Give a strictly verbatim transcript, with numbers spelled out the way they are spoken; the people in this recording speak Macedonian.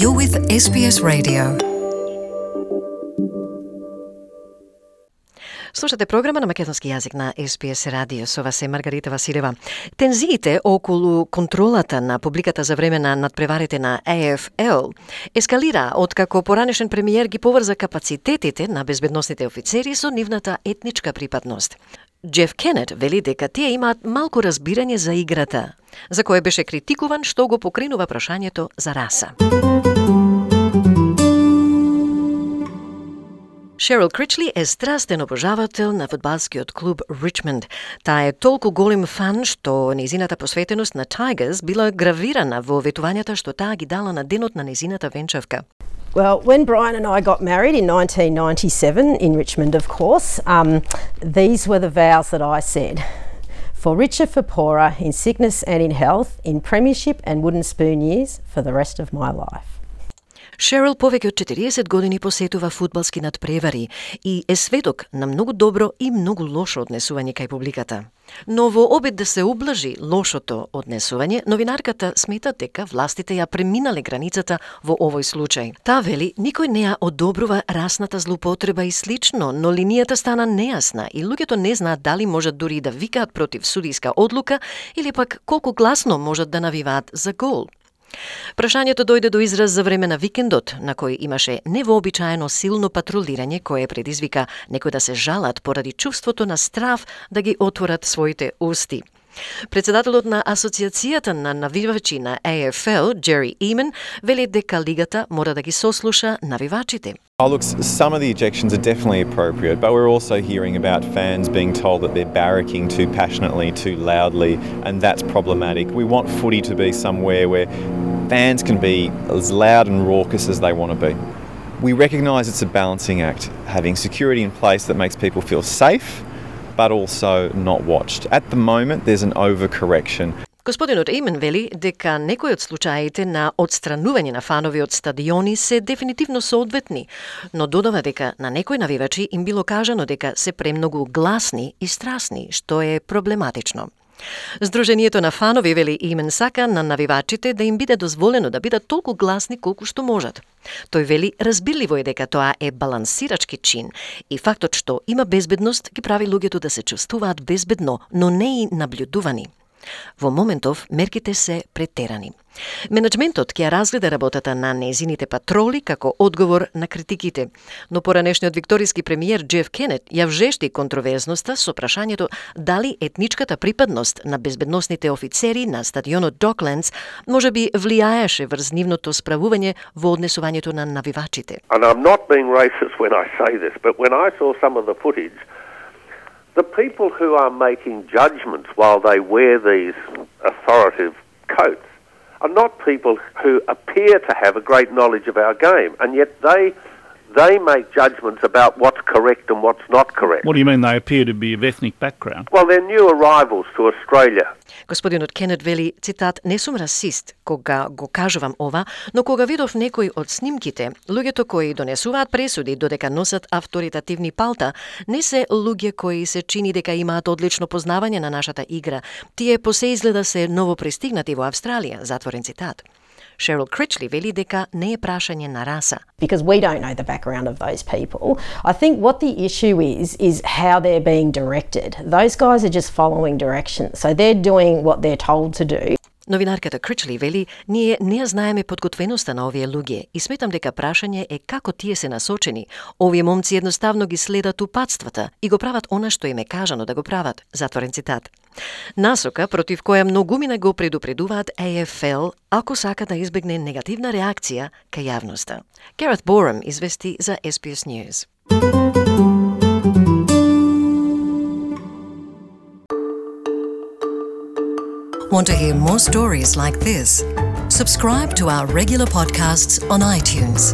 You're with S B S Radio. Слушате програма на македонски јазик на С Б С Радио. Со вас е Маргарита Василева. Тензиите околу контролата на публиката за време на надпреварите на А Ф Л ескалира откако поранешен премиер ги поврза капацитетите на безбедносните офицери со нивната етничка припадност. Джеф Кенет вели дека тие имаат малку разбирање за играта, за кое беше критикуван што го покринува прашањето за раса. Шерил Кричли е страстен обожавател на фудбалскиот клуб Ричмонд. Таа е толку голем фан што незината посветеност на Tigers била гравирана во ветувањата што таа ги дала на денот на незината венчавка. Well, when Brian and I got married in nineteen ninety-seven in Richmond, of course, um, these were the vows that I said. For richer, for poorer, in sickness and in health, in premiership and wooden spoon years, for the rest of my life. Шерил повеќе од четириесет години посетува фудбалски надпревари и е сведок на многу добро и многу лошо однесување кај публиката. Но во обид да се ублажи лошото однесување, новинарката смета дека властите ја преминале границата во овој случај. Таа вели, никој не ја одобрува расната злоупотреба и слично, но линијата стана нејасна и луѓето не знаат дали можат дури да викаат против судиска одлука или пак колку гласно можат да навиваат за гол. Прашањето дојде до израз за време на викендот, на кој имаше невообичаено силно патрулирање кое предизвика некои да се жалат поради чувството на страв да ги отворат своите усти. Председателот на Асоциацијата на навивачи на А Ф Л, Джери Имен, вели дека лигата мора да ги сослуша навивачите. Oh, look, some of the ejections are definitely appropriate, but we're also hearing about fans being told that they're barracking too passionately, too loudly, and that's problematic. We want footy to be somewhere where fans can be as loud and raucous as they want to be. We recognise it's a balancing act, having security in place that makes people feel safe, but also not watched. At the moment, there's an overcorrection. Господинот Имен вели дека некои од случаите на отстранување на фанови од стадиони се дефинитивно соодветни, но додава дека на некои навивачи им било кажано дека се премногу гласни и страсни, што е проблематично. Сдруженијето на фанови, вели Имен, сака на навивачите да им биде дозволено да бидат толку гласни колку што можат. Тој вели разбирливо е дека тоа е балансирачки чин и фактот што има безбедност ги прави луѓето да се чувствуваат безбедно, но не и наблюдувани. Во моментов мерките се претерани. Менеджментот ќе ја разгледа работата на незините патроли како одговор на критиките, но поранешниот викториски премиер Джеф Кенет ја вжешти контроверзноста со прашањето дали етничката припадност на безбедносните офицери на стадионот Docklands може би влијаеше врз нивното справување во однесувањето на навивачите. And I'm not being racist when I say this, but when I saw some of the footage, the people who are making judgments while they wear these authoritative coats are not people who appear to have a great knowledge of our game, and yet they they make judgments about what's correct and what's not correct. What do you mean they appear to be of ethnic background? Well, they're new arrivals to Australia. Господинот Кенет вели, цитат, не сум расист кога го кажувам ова, но кога видов некои од снимките, луѓето кои донесуваат пресуди додека носат авторитативни палта, не се луѓе кои се чини дека имаат одлично познавање на нашата игра. Тие посе изгледа се новопристигнати во Австралија, затворен цитат. Шерил Кричли вели дека не е прашање на раса. Because we don't know the background of those people. I think what the issue is, is how they're being directed. Those guys are just following directions. So they're doing what they're told to do. Новинарката Кричли вели, ние не ја знаеме подготвеноста на овие луѓе и сметам дека прашање е како тие се насочени. Овие момци едноставно ги следат упатствата и го прават она што им е кажано да го прават. Затворен цитат. Насока против која многумина го предупредуваат А Ф Л ако сака да избегне негативна реакција кај јавноста. Гарет Борам извести за С Б С News. Want to hear more stories like this? Subscribe to our regular podcasts on iTunes.